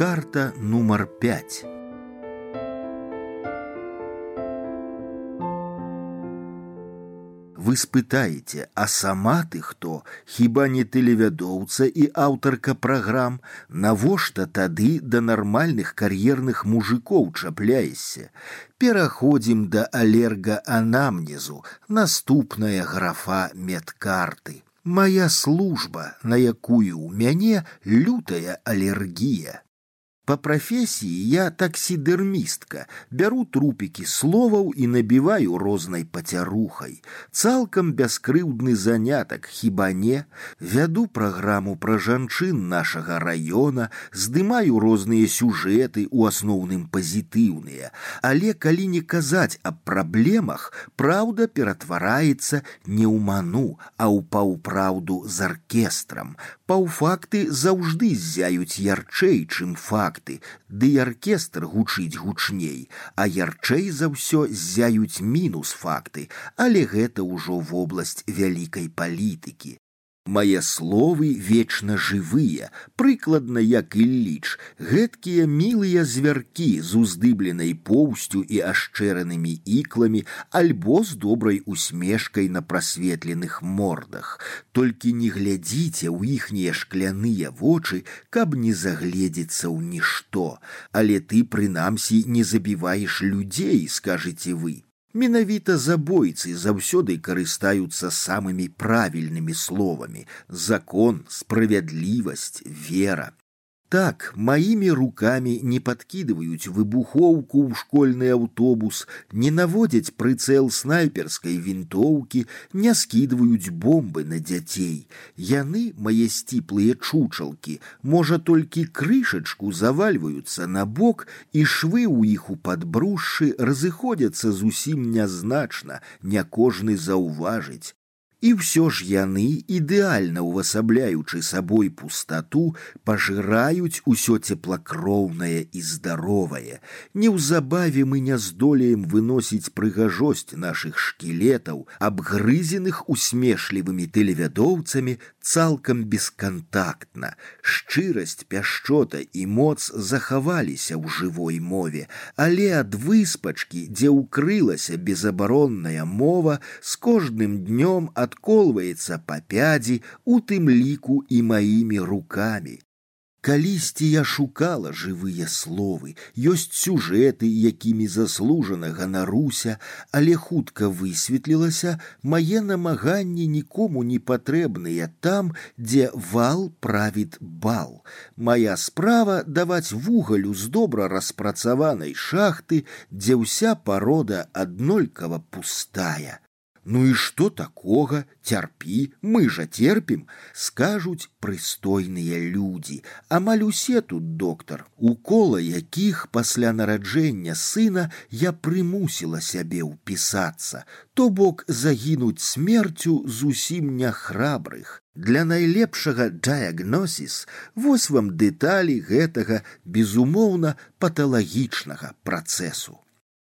Медкарта нумар 5. Вы спытаеце, а сама ты хто? Хіба не тэлевядоўца і аўтарка праграм? Навошта тады да нармальных кар'ерных мужикоў чапляешся? Пераходзім да алергаанамнезу. Наступная графа медкарты. Моя служба, на якую ў мяне лютая алергія. По профессии я таксидермистка, беру трупики словаў и набиваю рознай пацярухай. Цалкам бяскрыўдны занятак, хіба не? Вяду праграму пра жанчын нашага раёна, здымаю розныя сюжэты, у асноўным пазітыўныя. Але калі не казаць аб праблемах, праўда ператвараецца не ў ману, а ў паўпраўду з аркестрам. Паўфакты заўжды ззяюць ярчэй, чым факты. Ды аркестр гучыць гучней, а ярчэй за ўсё ззяюць мінус факты, але гэта ўжо вобласць вялікай палітыкі. Мае словы вечна жывыя, прыкладна як Ілліч, гэткія мілыя звяркі з уздыбленай поўсцю і ашчэранымі ікламі, альбо з добрай усмешкай на прасветленых мордах. Толькі не глядзіце ў іхнія шкляныя вочы, каб не загледзецца ў нішто. Але ты, прынамсі, не забіваеш людзей, скажыце вы. Менавіта забойцы заўсёды карыстаюцца самымі правільнымі словамі: закон, справядлівасць, вера. Так, маімі рукамі не падкідваюць выбухоўку ў школьны аўтобус, не наводзяць прыцэл снайперскай вінтоўкі, не скідваюць бомбы на дзяцей. Яны, мае сціплыя чучалкі, можа толькі крышачку завальваюцца на бок, і швы ў іх у падбрушшы разыходзяцца зусім нязначна, не кожны заўважыць. І ўсё ж яны, ідэальна ўвасабляючы сабой пустату, пажыраюць усё цеплакроўнае і здаровае. Неўзабаве мы не здолеем выносіць прыгажосць нашых шкілетаў, абгрызеных усмешлівымі тэлевядоўцамі цалкам бескантактна. Шчырасць, пяшчота і моц захаваліся ў жывой мове, але ад выспачкі, дзе ўкрылася безабаронная мова, з кожным днём адколваецца па пядзі, у тым ліку і маімі рукамі. Калісьці я шукала жывыя словы, ёсць сюжэты, якімі заслужана ганаруся, але хутка высветлілася, мае намаганні нікому не патрэбныя там, дзе вал правіт бал. Мая справа даваць вугалю з добра распрацаванай шахты, дзе ўся парода аднолькава пустая. Ну і што такога? Цярпі, мы жа терпім, скажуць прыстойныя людзі. Амаль усе тут, доктар, у кола якіх пасля нараджэння сына я прымусіла сябе ўпісацца, то бок загінуць смерцю зусім няхрабрых. Для найлепшага дыягнозіс вось вам дэталі гэтага, безумоўна, паталагічнага працэсу.